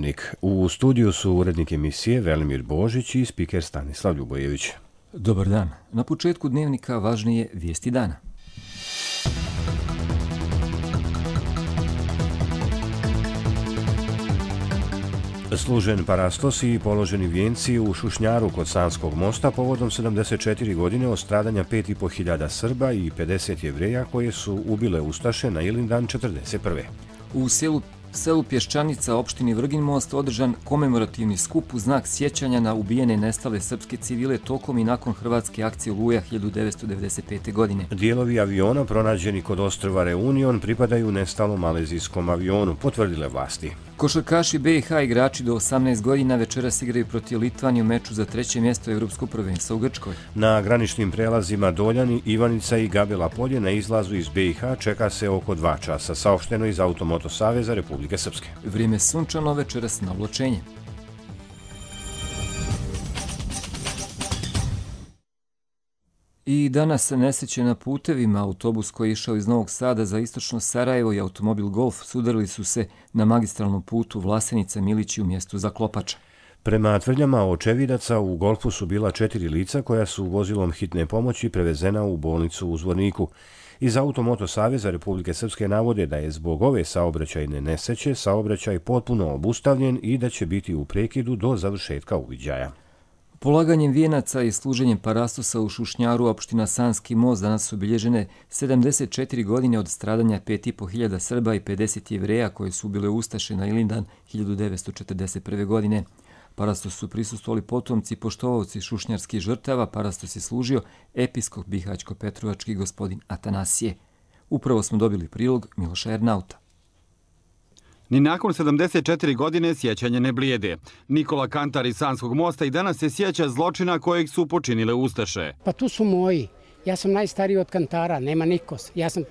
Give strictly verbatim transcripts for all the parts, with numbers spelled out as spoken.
Dnevnik. U studiju su urednik emisije Velimir Božić i spiker Stanislav Ljubojević. Dobar dan. Na početku Dnevnika važnije vijesti dana. Služen parastos i položeni vijenci u Šušnjaru kod Sanskog mosta povodom sedamdeset četiri godine od stradanja pet i po hiljada Srba i pedeset Jevreja koje su ubile ustaše na Ilindan četrdeset prve. U selu selu Pješčanica, opštini Vrgin Most, održan komemorativni skup u znak sjećanja na ubijene i nestale srpske civile tokom i nakon hrvatske akcije Oluja hiljadu devetsto devedeset pete. godine. Dijelovi aviona pronađeni kod ostrva Reunion pripadaju nestalom malezijskom avionu, potvrdile vlasti. Košarkaši B i H igrači do osamnaest godina večeras igraju protiv Litvanije u meču za treće mjesto Evropskog prvenstva u Grčkoj. Na graničnim prelazima Doljani, Ivanica i Gabela Polje na izlazu iz B i H čeka se oko dva časa, saopšteno iz Automoto Saveza Republike Srpske. Vrijeme sunčano, večeras na oblačenje. I danas nesreće na putevima. Autobus koji je išao iz Novog Sada za istočno Sarajevo i automobil Golf sudarili su se na magistralnom putu Vlasenica-Milići u mjestu Zaklopača. Prema tvrdnjama očevidaca, u Golfu su bila četiri lica koja su vozilom hitne pomoći prevezena u bolnicu u Zvorniku. Iz Automoto Saveza Republike Srpske navode da je zbog ove saobraćajne nesreće saobraćaj potpuno obustavljen i da će biti u prekidu do završetka uviđaja. Polaganjem vijenaca i služenjem parastosa u Šušnjaru, opština Sanski most, danas su obilježene sedamdeset četiri godine od stradanja pet i po hiljada Srba i pedeset Jevreja koje su bile ustaše na Ilindan hiljadu devetsto četrdeset prve. godine. Parastos su prisustvovali potomci i poštovaoci šušnjarskih žrtava. Parastos je služio episkop bihaćko-petrovački gospodin Atanasije. Upravo smo dobili prilog Miloša Ernauta. Ni nakon sedamdeset četiri godine sjećanje ne blijede. Nikola Kantar iz Sanskog mosta i danas se sjeća zločina kojeg su počinile ustaše. Pa tu su moji. Ja sam najstariji od Kantara, nema niko. Ja sam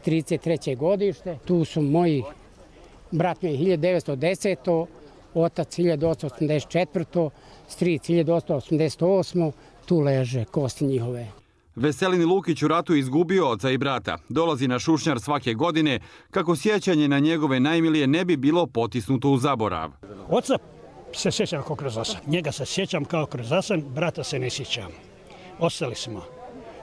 trideset treće godište. Tu su moji. Brat mi je hiljadu devetsto desete. Otac hiljadu osamsto osamdeset četvrte. Stric hiljadu osamsto osamdeset osme. Tu leže kosti njihove. Veselin Lukić u ratu izgubio oca i brata. Dolazi na Šušnjar svake godine kako sjećanje na njegove najmilije ne bi bilo potisnuto u zaborav. Oca se sjećam kao kroz osan. Njega se sjećam kao kroz osan, brata se ne sjećam. Ostali smo.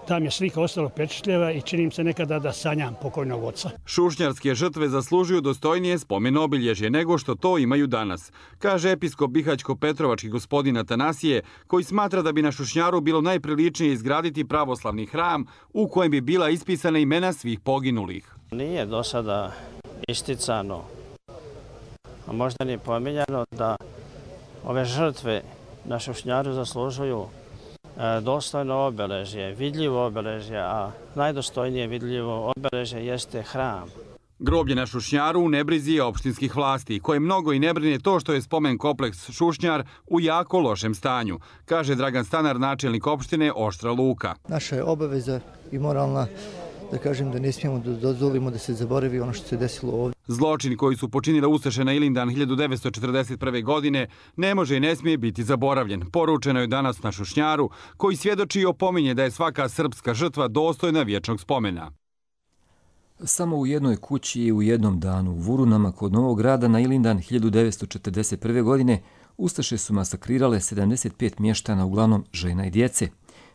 Tam je slika ostalo pečetljeva i činim se nekada da sanjam pokojnog oca. Šušnjarske žrtve zaslužuju dostojnije spomen obilježje nego što to imaju danas, kaže episkop bihaćko-petrovački gospodin Atanasije, koji smatra da bi na Šušnjaru bilo najpriličnije izgraditi pravoslavni hram u kojem bi bila ispisana imena svih poginulih. Nije do sada isticano, a možda ni pominjano da ove žrtve na Šušnjaru zaslužuju dostojno obeležje, vidljivo obeležje, a najdostojnije vidljivo obeležje jeste hram. Groblje na Šušnjaru u nebrizi je opštinskih vlasti, koje mnogo i ne brine to što je spomen kompleks Šušnjar u jako lošem stanju, kaže Dragan Stanar, načelnik opštine Oštra Luka. Naša je obaveza i moralna da kažem da ne smijemo da dozvolimo da se zaboravi ono što se desilo ovdje. Zločin koji su počinile ustaše na Ilindan hiljadu devetsto četrdeset prve. godine ne može i ne smije biti zaboravljen. Poručeno je danas na Šušnjaru, koji svjedoči i opominje da je svaka srpska žrtva dostojna vječnog spomena. Samo u jednoj kući i u jednom danu u Vurunama kod Novog Grada na Ilindan hiljadu devetsto četrdeset prve. godine ustaše su masakrirale sedamdeset pet mještana, uglavnom žena i djece.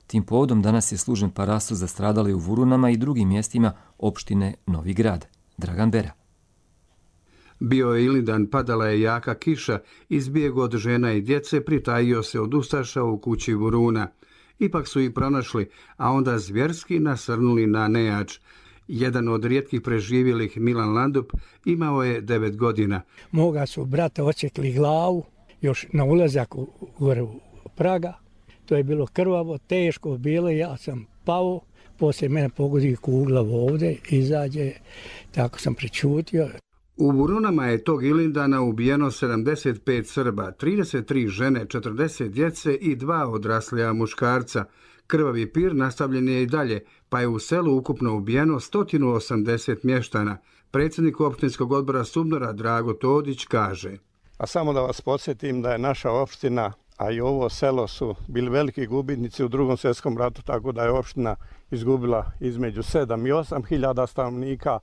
Tim povodom danas je služen parastos za stradale u Vurunama i drugim mjestima opštine Novi Grad. Dragan Bera. Bio je Ilindan, padala je jaka kiša, izbjeg od žena i djece, pritajio se od ustaša u kući Vuruna. Ipak su ih pronašli, a onda zvjerski nasrnuli na nejač. Jedan od rijetkih preživjelih, Milan Landup, imao je devet godina. Moga su brata očekli glavu, još na ulazak u, gore u Praga. To je bilo krvavo, teško bilo, ja sam pao, poslije mene pogodi kugla ovdje, izađe, tako sam pričutio. U Vurunama je tog Ilindana ubijeno sedamdeset pet Srba, trideset tri žene, četrdeset djece i dva odraslija muškarca. Krvavi pir nastavljen je i dalje, pa je u selu ukupno ubijeno sto osamdeset mještana. Predsjednik opštinskog odbora Subnora Drago Todić kaže. A samo da vas podsjetim da je naša opština, a i ovo selo su bili veliki gubitnici u drugom svjetskom ratu, tako da je opština izgubila između sedam i osam hiljada stanovnika.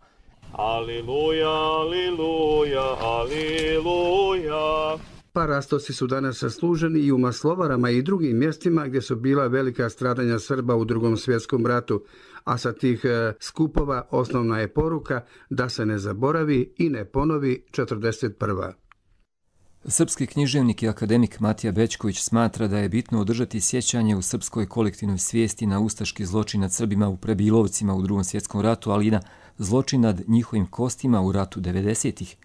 Aliluja, aliluja, aliluja. Parastosi su danas služeni i u Maslovarama i drugim mjestima gdje su bila velika stradanja Srba u Drugom svjetskom ratu, a sa tih skupova osnovna je poruka da se ne zaboravi i ne ponovi četrdeset prva. Srpski književnik i akademik Matija Bećković smatra da je bitno održati sjećanje u srpskoj kolektivnoj svijesti na ustaški zločin nad Srbima u Prebilovcima u Drugom svjetskom ratu, ali i na zločin nad njihovim kostima u ratu devedesetih.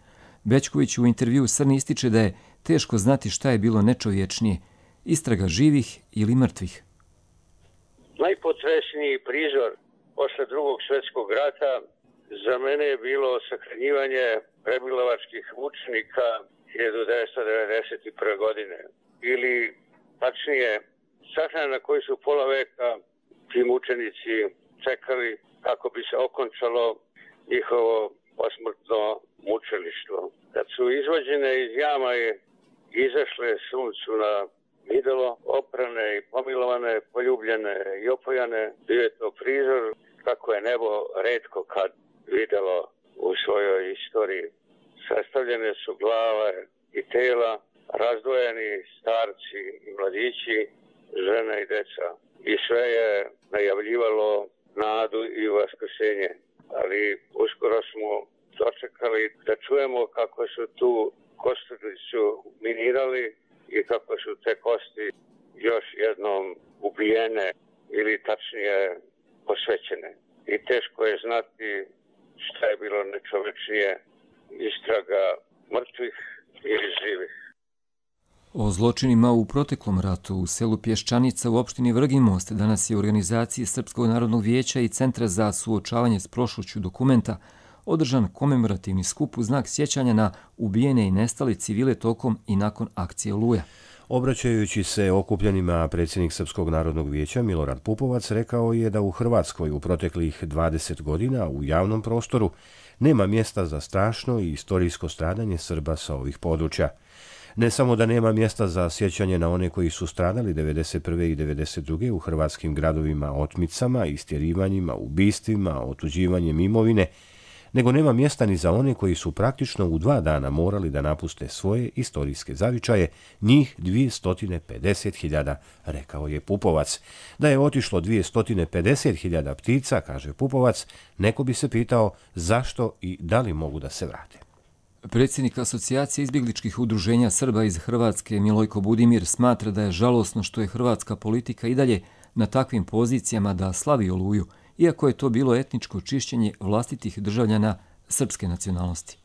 Bećković u intervju Srni ističe da je teško znati šta je bilo nečovječnije, istraga živih ili mrtvih. Najpotresniji prizor posle Drugog svjetskog rata za mene je bilo sahranjivanje prebilovačkih mučenika hiljadu devetsto devedeset prve. godine. Ili, tačnije, sahrana na koji su pola veka ti mučenici čekali kako bi se okončalo njihovo posmrtno mučilištvo. Kad su izvođene iz jama i izašle suncu na videlo, oprane i pomilovane, poljubljene i opojane, bio je to prizor kako je nebo retko kad videlo u svojoj istoriji. Sastavljene su glave i tela, razdvojeni starci i mladići, žene i deca. I sve je najavljivalo nadu i vaskrsenje. Ali uskoro smo dočekali da čujemo kako su tu kosturicu minirali i kako su te kosti još jednom ubijene ili tačnije posvećene. I teško je znati šta je bilo nečovečnije, istraga mrtvih ili živih. O zločinima u proteklom ratu u selu Pješčanica u opštini Vrginmost danas je u organizaciji Srpskog narodnog vijeća i Centra za suočavanje s prošlošću Dokumenta održan komemorativni skup u znak sjećanja na ubijene i nestale civile tokom i nakon akcije Oluja. Obraćajući se okupljenima, predsjednik Srpskog narodnog vijeća Milorad Pupovac rekao je da u Hrvatskoj u proteklih dvadeset godina u javnom prostoru nema mjesta za strašno i istorijsko stradanje Srba sa ovih područja. Ne samo da nema mjesta za sjećanje na one koji su stradali devedeset prve i devedeset druge u hrvatskim gradovima otmicama, istjerivanjima, ubistvima, otuđivanjem imovine, nego nema mjesta ni za one koji su praktično u dva dana morali da napuste svoje istorijske zavičaje, njih dvjesto pedeset hiljada, rekao je Pupovac. Da je otišlo dvjesto pedeset hiljada ptica, kaže Pupovac, neko bi se pitao zašto i da li mogu da se vrate. Predsjednik Asocijacije izbjegličkih udruženja Srba iz Hrvatske Milojko Budimir smatra da je žalosno što je hrvatska politika i dalje na takvim pozicijama da slavi Oluju, iako je to bilo etničko čišćenje vlastitih državljana srpske nacionalnosti.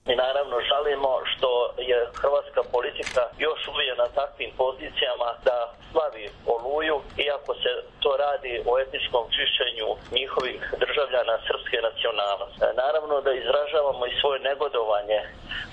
Mi naravno žalimo što je hrvatska politika još uvijek na takvim pozicijama da slavi Oluju, iako se to radi o etničkom čišćenju njihovih državljana srpske nacionalnosti. Naravno da izražavamo i svoje negodovanje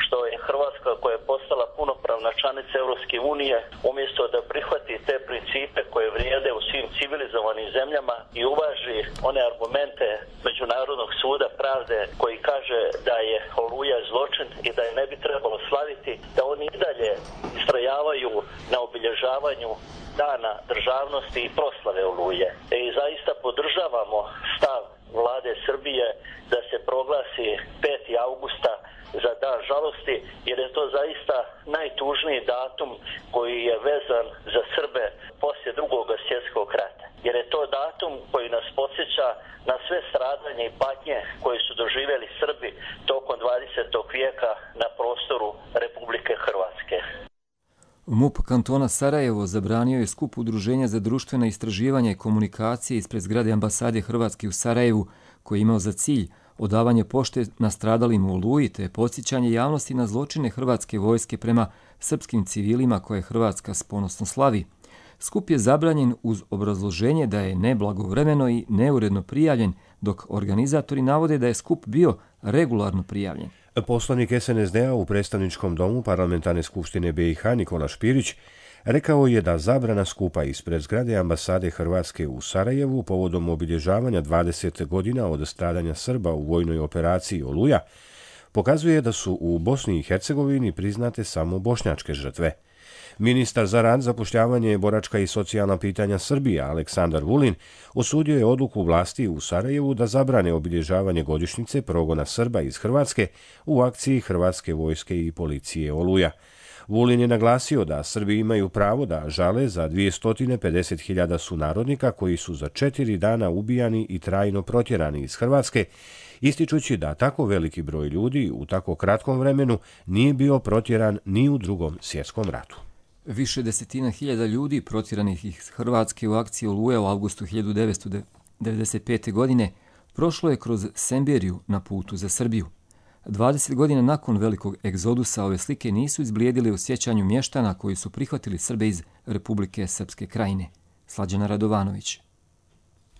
što je Hrvatska, koja je postala punopravna članica Europske unije, umjesto da prihvati te principe koje vrijede u svim civilizovanim zemljama i uvaži one argumente Međunarodnog suda pravde koji kaže da je Oluja zločin i da je ne bi trebalo slaviti, da oni i dalje istrajavaju na obilježavanju Dana državnosti i proslave Oluje. I zaista podržavamo stav vlade Srbije da se proglasi peti avgusta za dan žalosti, jer je to zaista najtužniji datum koji je vezan za Srbe poslije Drugog svjetskog rata. Jer je to datum koji nas podsjeća na sve stradanje i patnje koje su doživjeli Srbi tokom dvadesetog vijeka na prostoru Republike Hrvatske. MUP kantona Sarajevo zabranio je skup Udruženja za društvena istraživanja i komunikacije ispred zgrade ambasade Hrvatske u Sarajevu, koji je imao za cilj odavanje pošte nastradalim u Oluji te podsjećanje javnosti na zločine hrvatske vojske prema srpskim civilima koje Hrvatska s ponosom slavi. Skup je zabranjen uz obrazloženje da je neblagovremeno i neuredno prijavljen, dok organizatori navode da je skup bio regularno prijavljen. Poslanik es en es de a u predstavničkom domu Parlamentarne skupštine be i ha Nikola Špirić rekao je da zabrana skupa ispred zgrade ambasade Hrvatske u Sarajevu povodom obilježavanja dvadeset godina od stradanja Srba u vojnoj operaciji Oluja pokazuje da su u Bosni i Hercegovini priznate samo bošnjačke žrtve. Ministar za rad, zapošljavanje, boračka i socijalna pitanja Srbije Aleksandar Vulin osudio je odluku vlasti u Sarajevu da zabrane obilježavanje godišnjice progona Srba iz Hrvatske u akciji Hrvatske vojske i policije Oluja. Vulin je naglasio da Srbi imaju pravo da žale za dvjesto pedeset hiljada sunarodnika koji su za četiri dana ubijani i trajno protjerani iz Hrvatske, ističući da tako veliki broj ljudi u tako kratkom vremenu nije bio protjeran ni u Drugom svjetskom ratu. Više desetina hiljada ljudi protjeranih iz Hrvatske u akciji Oluja u avgustu hiljadu devetsto devedeset pete. godine prošlo je kroz Semberiju na putu za Srbiju. dvadeset godina nakon velikog egzodusa ove slike nisu izblijedile u sjećanju mještana koji su prihvatili Srbe iz Republike Srpske Krajine. Slađana Radovanović.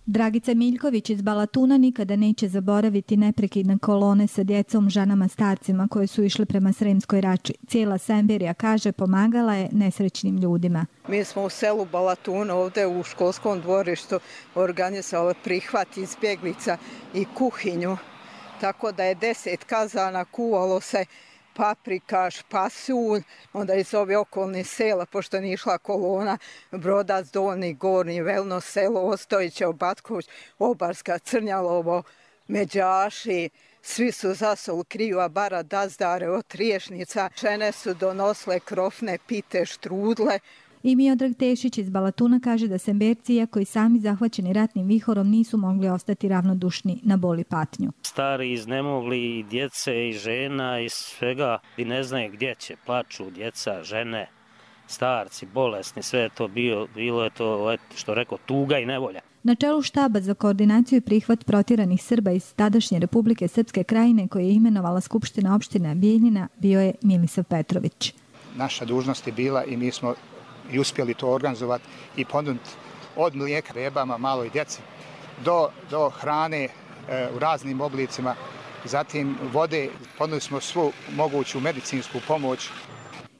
Dragica Miljković iz Balatuna nikada neće zaboraviti neprekidne kolone sa djecom, ženama, starcima koje su išle prema Sremskoj Rači. Cijela Semberija, kaže, pomagala je nesrećnim ljudima. Mi smo u selu Balatuna ovdje u školskom dvorištu organizovali prihvat izbjeglica i kuhinju. Tako da je deset kazana kuvalo se paprika, špasulj, onda iz ove okolne sela, pošto nije išla kolona, Brodac, Dolni, Gornji, Velno selo, Ostojiće, Obatković, Obarska, Crnjalovo, Međaši, svi su zasol kriva, bara dazdare od Triješnica, žene su donosle krofne, pite, štrudle. I Miodrag Tešić iz Balatuna kaže da Semberci, iako i sami zahvaćeni ratnim vihorom, nisu mogli ostati ravnodušni na bol i patnju. Stari, iznemogli, i djece, i žena, i svega, i ne znaju gdje će, plaču djeca, žene, starci, bolesni, sve je to bilo, bilo je to, što rekao, tuga i nevolja. Na čelu štaba za koordinaciju i prihvat protjeranih Srba iz tadašnje Republike Srpske Krajine, koje je imenovala Skupština opštine Bijeljina, bio je Milisav Petrović. Naša dužnost je bila i mi smo i uspjeli to organizovati i ponuditi od mlijeka bebama, maloj djeci, do, do hrane e, u raznim oblicima, zatim vode, ponudili smo svu moguću medicinsku pomoć.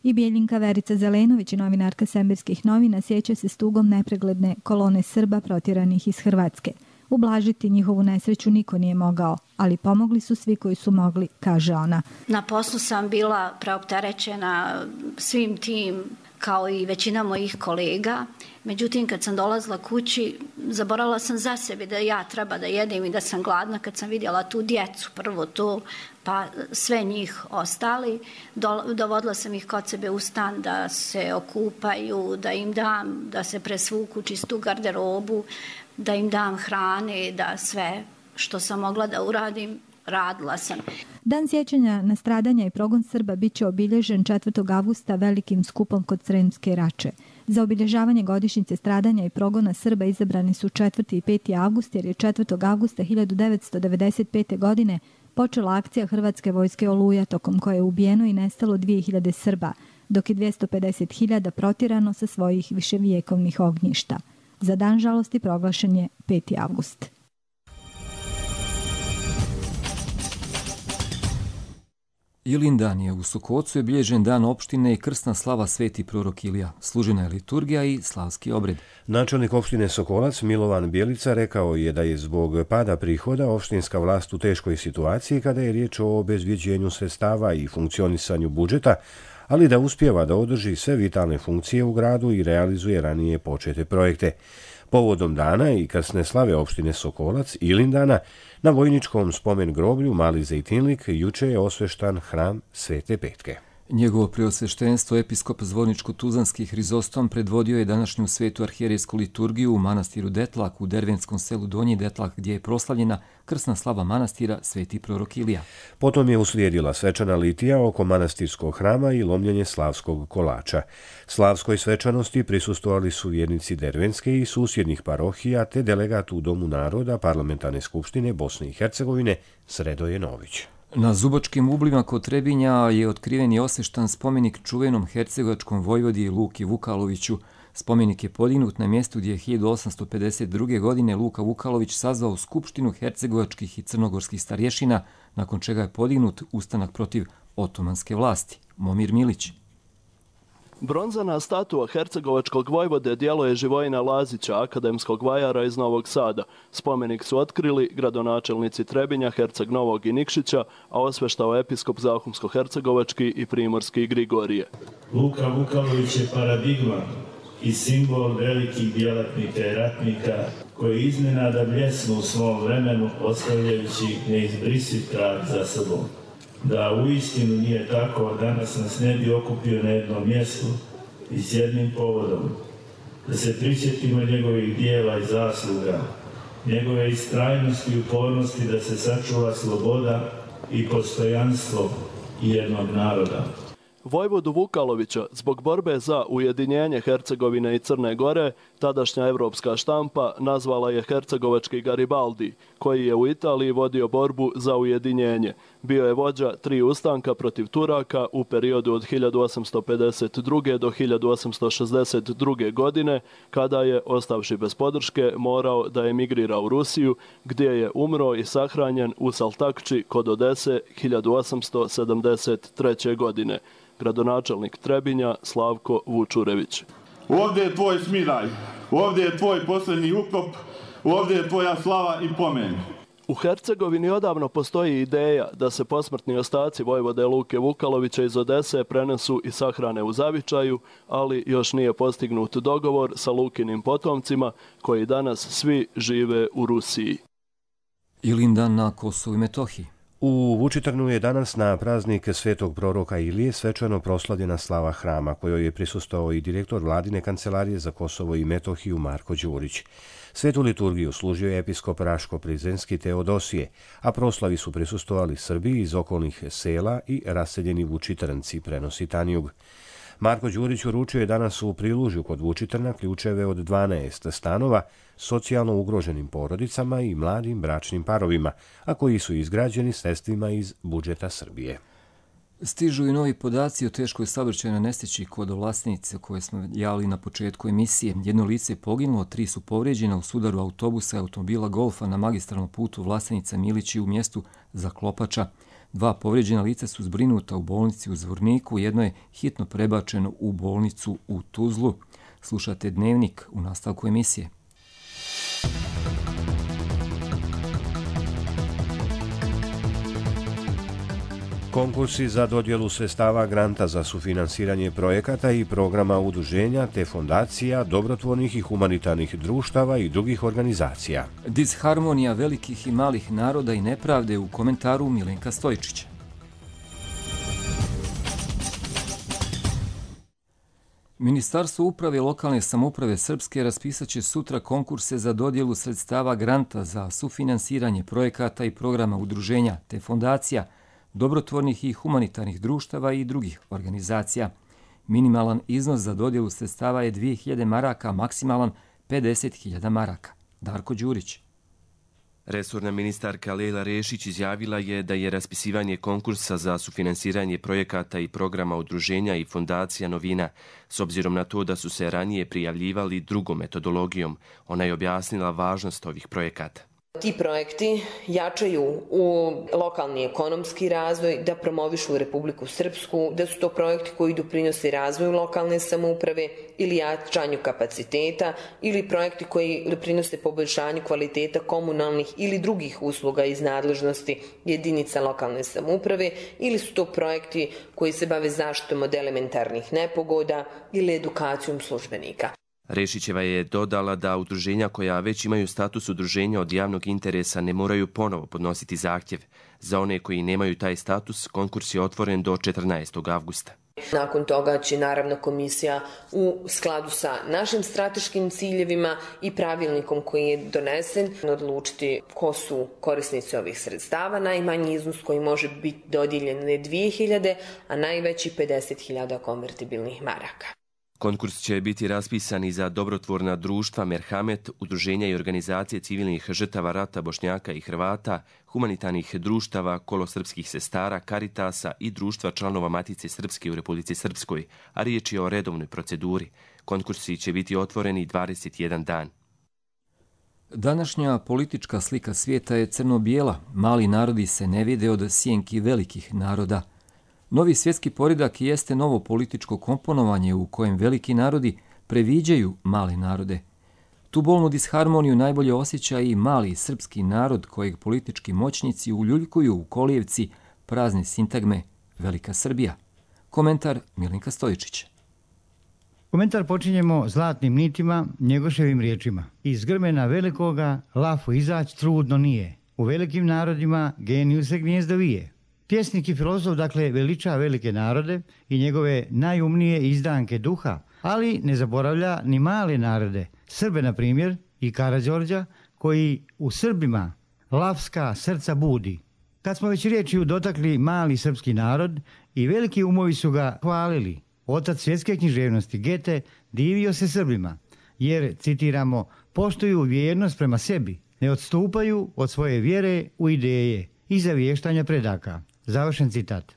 I Bijeljinka Verica Zelenović, novinarka Semberskih novina, sjeća se s tugom nepregledne kolone Srba protjeranih iz Hrvatske. Ublažiti njihovu nesreću niko nije mogao, ali pomogli su svi koji su mogli, kaže ona. Na poslu sam bila preopterećena svim tim, kao i većina mojih kolega. Međutim, kad sam dolazila kući, zaboravila sam za sebe da ja treba da jedem i da sam gladna. Kad sam vidjela tu djecu, prvo to, pa sve njih ostali, dovodila sam ih kod sebe u stan da se okupaju, da im dam, da se presvuku čistu garderobu, da im dam hrane, da sve što sam mogla da uradim, radila sam. Dan sjećanja na stradanja i progon Srba biće obilježen četvrtog avgusta velikim skupom kod Sremske Rače. Za obilježavanje godišnjice stradanja i progona Srba izabrani su četvrti i peti avgust, jer je četvrtog avgusta hiljadu devetsto devedeset pete. godine počela akcija Hrvatske vojske Oluja, tokom koje je ubijeno i nestalo dvije hiljade Srba, dok je dvjesto pedeset hiljada protjerano sa svojih viševijekovnih ognjišta. Za dan žalosti proglašen je peti avgust. Ilindan je u Sokocu je bilježen dan opštine i krsna slava Sveti prorok Ilija. Služena je liturgija i slavski obred. Načelnik opštine Sokolac Milovan Bjelica rekao je da je zbog pada prihoda opštinska vlast u teškoj situaciji kada je riječ o obezvjeđenju sredstava i funkcionisanju budžeta, ali da uspijeva da održi sve vitalne funkcije u gradu i realizuje ranije počete projekte. Povodom dana i krsne slave opštine Sokolac Ilindana, na vojničkom spomen groblju Mali Zejtinlik juče je osveštan hram Svete Petke. Njegovo preosveštenstvo episkop Zvorničko-Tuzlanski Hrizostom predvodio je današnju svetu arhijerejsku liturgiju u manastiru Detlak u dervenskom selu Donji Detlak, gdje je proslavljena krsna slava manastira Sveti prorok Ilija. Potom je uslijedila svečana litija oko manastirskog hrama i lomljenje slavskog kolača. Slavskoj svečanosti prisustvovali su vjernici dervenske i susjednih parohija te delegat u Domu naroda Parlamentarne skupštine Bosne i Hercegovine Sredoje Nović. Na Zubačkim ublima kod Trebinja je otkriven i osveštan spomenik čuvenom hercegovačkom vojvodi Luki Vukaloviću. Spomenik je podignut na mjestu gdje je hiljadu osamsto pedeset druge. godine Luka Vukalović sazvao skupštinu hercegovačkih i crnogorskih starješina, nakon čega je podignut ustanak protiv otomanske vlasti. Momir Milić. Bronzana statua hercegovačkog vojvode djelo je Živojina Lazića, akademskog vajara iz Novog Sada. Spomenik su otkrili gradonačelnici Trebinja, Herceg Novog i Nikšića, a osveštao episkop Zahumsko-hercegovački i Primorski Grigorije. Luka Vukalović je paradigma i simbol velikih djelatnika i ratnika koji iznenada bljesnu u svom vremenu ostavljajući neizbrisiv trag za sobom. Da uistinu nije tako, danas nas ne bi okupio na jednom mjestu i s jednim povodom. Da se prisjetimo njegovih dijela i zasluga, njegove istrajnosti i upornosti da se sačuva sloboda i postojanstvo jednog naroda. Vojvodu Vukalovića zbog borbe za ujedinjenje Hercegovine i Crne Gore tadašnja evropska štampa nazvala je hercegovački Garibaldi, koji je u Italiji vodio borbu za ujedinjenje. Bio je vođa tri ustanka protiv Turaka u periodu od hiljadu osamsto pedeset druge. do hiljadu osamsto šezdeset druge. godine, kada je, ostavši bez podrške, morao da emigrira u Rusiju, gdje je umro i sahranjen u Saltakči kod Odese hiljadu osamsto sedamdeset treće. godine. Gradonačelnik Trebinja Slavko Vučurević. Ovdje je tvoj smiraj, ovdje je tvoj posljednji ukop, ovdje je tvoja slava i pomen. U Hercegovini odavno postoji ideja da se posmrtni ostaci vojvode Luke Vukalovića iz Odese prenesu i sahrane u Zavičaju, ali još nije postignut dogovor sa Lukinim potomcima koji danas svi žive u Rusiji. Ilindan na Kosovu i Metohiji. U Vučitrnu je danas na praznik svetog proroka Ilije svečano proslavljena slava hrama, kojoj je prisustvovao i direktor Vladine kancelarije za Kosovo i Metohiju Marko Đurić. Svetu liturgiju služio je episkop Raško-Prizrenski Teodosije, a proslavi su prisustvovali Srbi iz okolnih sela i raseljeni Vučitrnci, prenosi Tanjug. Marko Đurić uručio je danas u Prilužju kod Vučitrna ključeve od dvanaest stanova socijalno ugroženim porodicama i mladim bračnim parovima, a koji su izgrađeni sredstvima iz budžeta Srbije. Stižu i novi podaci o teškoj saobraćajnoj nesreći kod Vlasenice koje smo javili na početku emisije. Jedno lice je poginulo, tri su povrijeđena u sudaru autobusa i automobila Golfa na magistralnom putu Vlasenica-Milići u mjestu Zaklopača. Dva povrijeđena lica su zbrinuta u bolnici u Zvorniku, jedno je hitno prebačeno u bolnicu u Tuzlu. Slušate Dnevnik u nastavku emisije. Konkursi za dodjelu sredstava granta za sufinansiranje projekata i programa udruženja te fondacija, dobrotvornih i humanitarnih društava i drugih organizacija. Disharmonija velikih i malih naroda i nepravde u komentaru Milenka Stojčića. Ministarstvo uprave i lokalne samouprave Srpske raspisat će sutra konkurse za dodjelu sredstava granta za sufinansiranje projekata i programa udruženja te fondacija, dobrotvornih i humanitarnih društava i drugih organizacija. Minimalan iznos za dodjelu sredstava je dvije hiljade maraka, maksimalan pedeset hiljada maraka. Darko Đurić. Resorna ministarka Lejla Rešić izjavila je da je raspisivanje konkursa za sufinansiranje projekata i programa udruženja i fondacija novina, s obzirom na to da su se ranije prijavljivali drugom metodologijom. Ona je objasnila važnost ovih projekata. Ti projekti jačaju u lokalni ekonomski razvoj, da promovišu Republiku Srpsku, da su to projekti koji doprinose razvoju lokalne samouprave ili jačanju kapaciteta ili projekti koji doprinose poboljšanju kvaliteta komunalnih ili drugih usluga iz nadležnosti jedinica lokalne samouprave ili su to projekti koji se bave zaštitom od elementarnih nepogoda ili edukacijom službenika. Rešićeva je dodala da udruženja koja već imaju status udruženja od javnog interesa ne moraju ponovo podnositi zahtjev. Za one koji nemaju taj status, konkurs je otvoren do četrnaestog avgusta. Nakon toga će naravno komisija u skladu sa našim strateškim ciljevima i pravilnikom koji je donesen odlučiti ko su korisnici ovih sredstava. Najmanji iznos koji može biti dodijeljen je dvije hiljade, a najveći pedeset hiljada konvertibilnih maraka. Konkurs će biti raspisan i za dobrotvorna društva Merhamet, udruženja i organizacije civilnih žrtava rata Bošnjaka i Hrvata, humanitarnih društava, Kolo srpskih sestara, Karitasa i društva članova Matice Srpske u Republici Srpskoj, a riječ je o redovnoj proceduri. Konkursi će biti otvoreni dvadeset jedan dan. Današnja politička slika svijeta je crno-bijela. Mali narodi se ne vide od sjenki velikih naroda. Novi svjetski poredak jeste novo političko komponovanje u kojem veliki narodi previđaju male narode. Tu bolnu disharmoniju najbolje osjeća i mali srpski narod kojeg politički moćnici uljuljkuju u kolijevci prazne sintagme Velika Srbija. Komentar Milinka Stojičića. Komentar počinjemo zlatnim nitima, Njegoševim riječima. Iz grmena velikoga lafu izać trudno nije. U velikim narodima geniju se gnjezdo vije. Pjesnik i filozof dakle veliča velike narode i njegove najumnije izdanke duha, ali ne zaboravlja ni male narode, Srbe na primjer i Karađorđa, koji u Srbima lavska srca budi. Kad smo već riječju dotakli mali srpski narod, i veliki umovi su ga hvalili. Otac svjetske književnosti Gete divio se Srbima, jer, citiramo, poštuju vjernost prema sebi, ne odstupaju od svoje vjere u ideje i zavještanja predaka. Završen citat.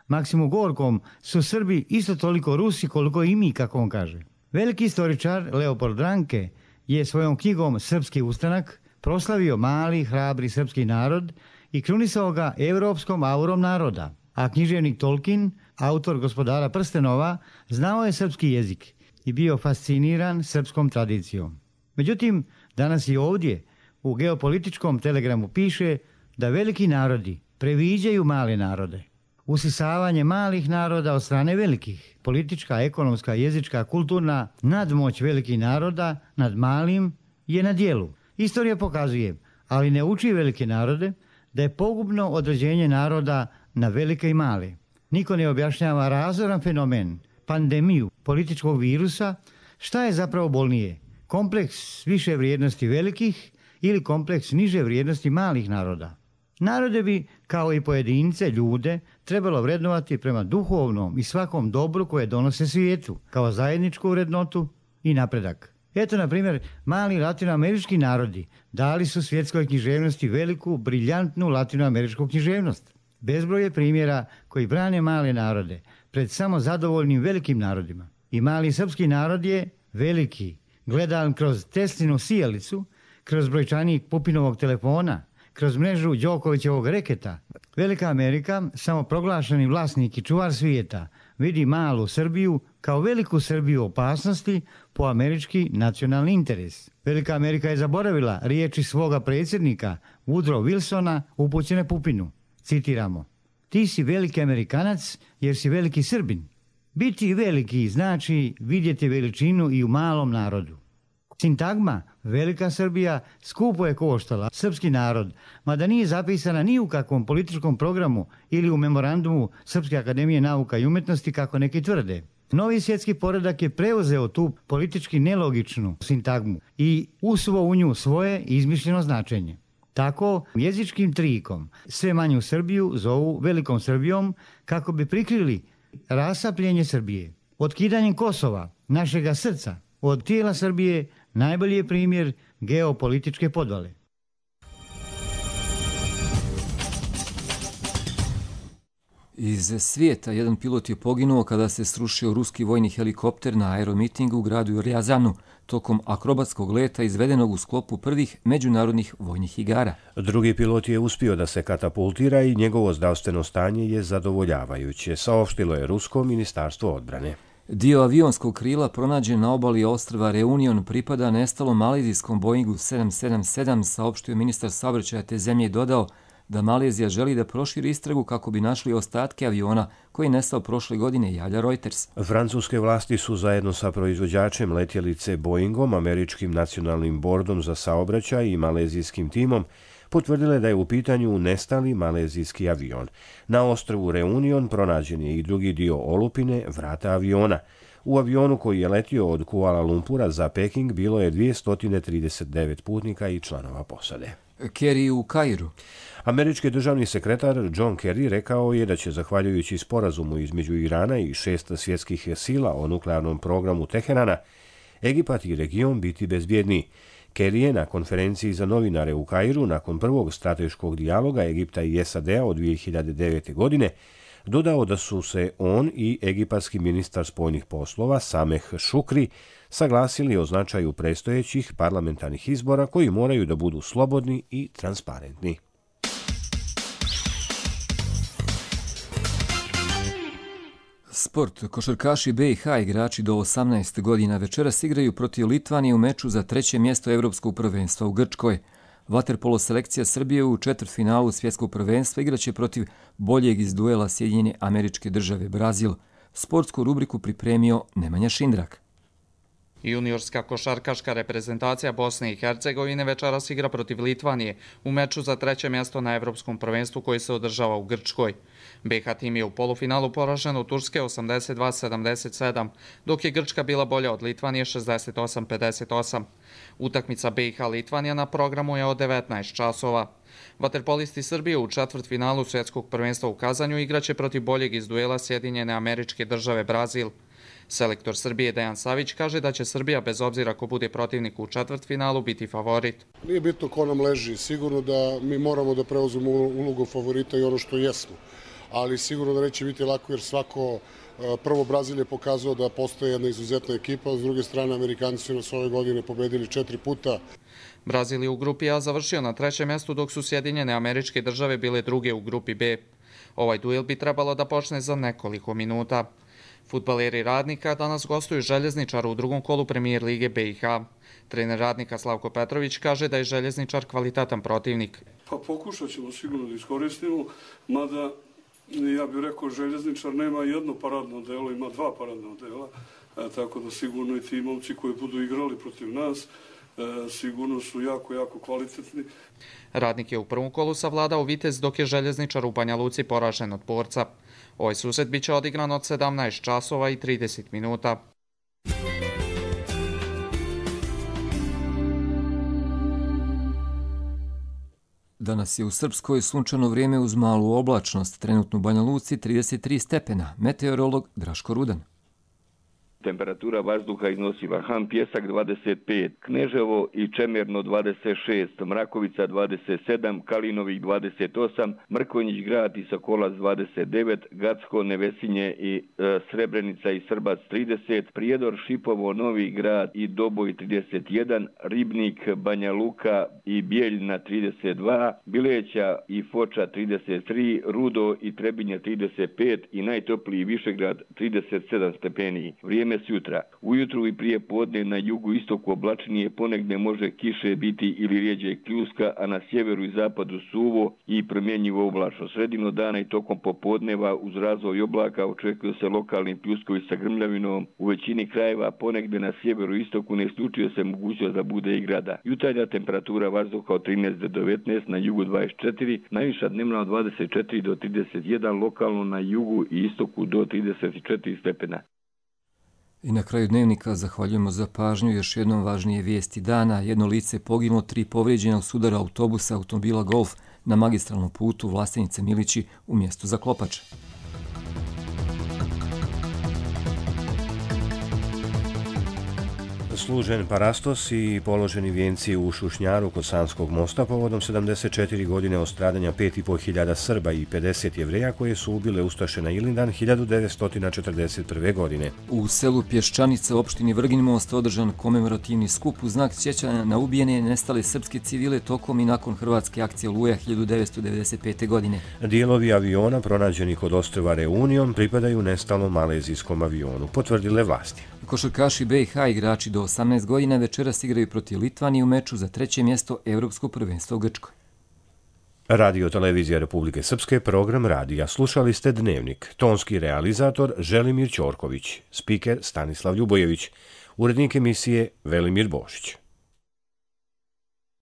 Maksimu Gorkom su Srbi isto toliko Rusi koliko i mi, kako on kaže. Veliki istoričar Leopold Ranke je svojom knjigom Srpski ustanak proslavio mali, hrabri srpski narod i krunisao ga evropskom aurom naroda. A književnik Tolkien, autor Gospodara prstenova, znao je srpski jezik i bio fasciniran srpskom tradicijom. Međutim, danas i ovdje u geopolitičkom telegramu piše da veliki narodi previđaju male narode. Usisavanje malih naroda od strane velikih, politička, ekonomska, jezička, kulturna nadmoć velikih naroda nad malim je na dijelu. Istorija pokazuje, ali ne uči velike narode, da je pogubno određenje naroda na velike i male. Niko ne objašnjava razoran fenomen, pandemiju političkog virusa, šta je zapravo bolnije, kompleks više vrijednosti velikih ili kompleks niže vrijednosti malih naroda. Narode bi, kao i pojedince, ljude, trebalo vrednovati prema duhovnom i svakom dobru koje donose svijetu, kao zajedničku vrednotu i napredak. Eto, na primjer, mali latinoamerički narodi dali su svjetskoj književnosti veliku, briljantnu latinoameričku književnost. Bezbroj je primjera koji brane male narode pred samo zadovoljnim velikim narodima. I mali srpski narod je veliki, gledan kroz Teslinu sijalicu, kroz brojčanik Pupinovog telefona, kroz mrežu Đokovićevog reketa. Velika Amerika, samoproglašeni vlasnik i čuvar svijeta, vidi malu Srbiju kao veliku Srbiju opasnosti po američki nacionalni interes. Velika Amerika je zaboravila riječi svoga predsjednika Woodrow Wilsona upućene Pupinu. Citiramo: ti si veliki Amerikanac jer si veliki Srbin. Biti veliki znači vidjeti veličinu i u malom narodu. Sintagma Velika Srbija skupo je koštala srpski narod, mada nije zapisana ni u kakvom političkom programu ili u memorandumu Srpske akademije nauka i umjetnosti, kako neki tvrde. Novi svjetski poredak je preuzeo tu politički nelogičnu sintagmu i usuo u nju svoje izmišljeno značenje. Tako, jezičkim trikom sve manju Srbiju zovu Velikom Srbijom kako bi prikrili rasapljenje Srbije. Otkidanjem Kosova, našega srca, od tijela Srbije najbolji je primjer geopolitičke podvale. Iz svijeta jedan pilot je poginuo kada se srušio ruski vojni helikopter na aeromitingu u gradu Rjazanu tokom akrobatskog leta izvedenog u sklopu prvih međunarodnih vojnih igara. Drugi pilot je uspio da se katapultira i njegovo zdravstveno stanje je zadovoljavajuće, saopštilo je Rusko ministarstvo odbrane. Dio avionskog krila pronađen na obali ostrva Reunion pripada nestalom malezijskom Boeingu sedam sedam sedam, saopštio ministar saobraćaja te zemlje i dodao da Malezija želi da proširi istragu kako bi našli ostatke aviona koji je nestao prošle godine, javlja Reuters. Francuske vlasti su zajedno sa proizvođačem letjelice Boeingom, američkim nacionalnim bordom za saobraćaj i malezijskim timom potvrdile da je u pitanju nestali malezijski avion. Na ostrvu Reunion pronađen je i drugi dio olupine, vrata aviona. U avionu koji je letio od Kuala Lumpura za Peking bilo je dvjesto trideset devet putnika i članova posade. Kerry u Kairu. Američki državni sekretar John Kerry rekao je da će, zahvaljujući sporazumu između Irana i šest svjetskih sila o nuklearnom programu Teherana, Egipat i region biti bezbjedniji. Kerry je na konferenciji za novinare u Kairu nakon prvog strateškog dijaloga Egipta i S A D-a od dvije hiljade devete. godine dodao da su se on i egipatski ministar spoljnih poslova Sameh Šukri saglasili o značaju predstojećih parlamentarnih izbora koji moraju da budu slobodni i transparentni. Sport. Košarkaši B i H igrači do osamnaest godina večeras igraju protiv Litvanije u meču za treće mjesto Evropskog prvenstva u Grčkoj. Vaterpolo selekcija Srbije u četvrtfinalu svjetskog prvenstva igraće protiv boljeg iz duela Sjedinjene Američke Države Brazil. Sportsku rubriku pripremio Nemanja Šindrak. Juniorska košarkaška reprezentacija Bosne i Hercegovine večeras igra protiv Litvanije u meču za treće mjesto na Evropskom prvenstvu koji se održava u Grčkoj. B H tim je u polufinalu poražen od Turske osamdeset dva sedamdeset sedam, dok je Grčka bila bolja od Litvanije šezdeset osam pedeset osam. Utakmica B i H Litvanija na programu je od devetnaest časova. Vaterpolisti Srbije u četvrtfinalu svjetskog prvenstva u Kazanju igraće protiv boljeg iz duela Sjedinjene Američke Države Brazil. Selektor Srbije Dejan Savić kaže da će Srbija, bez obzira ko bude protivnik u četvrtfinalu, biti favorit. Nije bitno ko nam leži, sigurno da mi moramo da preuzmemo ulogu favorita i ono što jesmo. Ali sigurno da neće biti lako jer svako, prvo Brazil je pokazao da postoje jedna izuzetna ekipa, s druge strane Amerikanci su nas ove godine pobedili četiri puta. Brazil je u grupi A završio na trećem mjestu dok su Sjedinjene Američke Države bile druge u grupi B. Ovaj duel bi trebalo da počne za nekoliko minuta. Fudbaleri Radnika danas gostuju Željezničar u drugom kolu Premijer lige B i H. Trener Radnika Slavko Petrović kaže da je Željezničar kvalitetan protivnik. Pa pokušat ćemo sigurno da iskoristimo, mada ja bih rekao Željezničar nema jedno paradno delo, ima dva paradna dela, e, tako da sigurno i ti momci koji budu igrali protiv nas e, sigurno su jako, jako kvalitetni. Radnik je u prvom kolu savladao Vitez dok je Željezničar u Banja Luci poražen od Borca. Ovaj susret biće odigran od sedamnaest časova i trideset minuta. Danas je u Srpskoj sunčano vrijeme uz malu oblačnost, trenutno u Banja Luci trideset tri stepena. Meteorolog Draško Rudan. Temperatura vazduha iznosi Vahan Pjesak dvadeset pet, Kneževo i Čemerno dvadeset šest, Mrakovica dvadeset sedam, Kalinovik dvadeset osam, Mrkonjić grad i Sokolac dvadeset devet, Gacko, Nevesinje i e, Srebrenica i Srbac trideset, Prijedor, Šipovo, Novi grad i Doboj trideset jedan, Ribnik, Banja Luka i Bijeljina trideset dva, Bileća i Foča trideset tri, Rudo i Trebinje trideset pet i najtopliji Višegrad trideset sedam stepeni. Vrijeme s jutra. Ujutru i prije podne na jugu istoku oblačnije, ponegdje može kiše biti ili rijeđe kljuska, a na sjeveru i zapadu suvo i promjenjivo oblačno. Sredino dana i tokom popodneva uz razvoj oblaka očekuju se lokalni pljuskovi sa grmljavinom. U većini krajeva ponegdje na sjeveru i istoku ne isključuje se mogućnost da bude i grada. Jutarnja temperatura vazduha od trinaest do devetnaest, na jugu dvadeset četiri, najviša dnevna od dvadeset četiri do trideset jedan, lokalno na jugu i istoku do trideset četiri stepena. I na kraju dnevnika zahvaljujemo za pažnju. Još jednom važnije vijesti dana. Jedno lice poginulo, tri povrijeđena u sudaru autobusa automobila Golf na magistralnom putu Vlastenice Milići u mjestu Zaklopač. Služen parastos i položeni vijenci u Šušnjaru kod Sanskog mosta povodom sedamdeset četiri godine od stradanja pet i po hiljada Srba i pedeset Jevreja koje su ubile ustaše na Ilindan hiljadu devetsto četrdeset prve. godine. U selu Pješčanica u opštini Vrgin Most održan komemorativni skup u znak sjećanja na ubijene i nestale srpske civile tokom i nakon hrvatske akcije Oluja hiljadu devetsto devedeset pete. godine. Dijelovi aviona pronađeni kod ostrva Reunion pripadaju nestalnom malezijskom avionu, potvrdile vlasti. Košarkaši B i H igrači do osamnaest godina večeras igraju protiv Litvanije u meču za treće mjesto Evropskog prvenstva u Grčkoj. Radio Televizija Republike Srpske, program radija. Slušali ste Dnevnik. Tonski realizator Želimir Ćorković, spiker Stanislav Ljubojević, urednik emisije Velimir Bošić.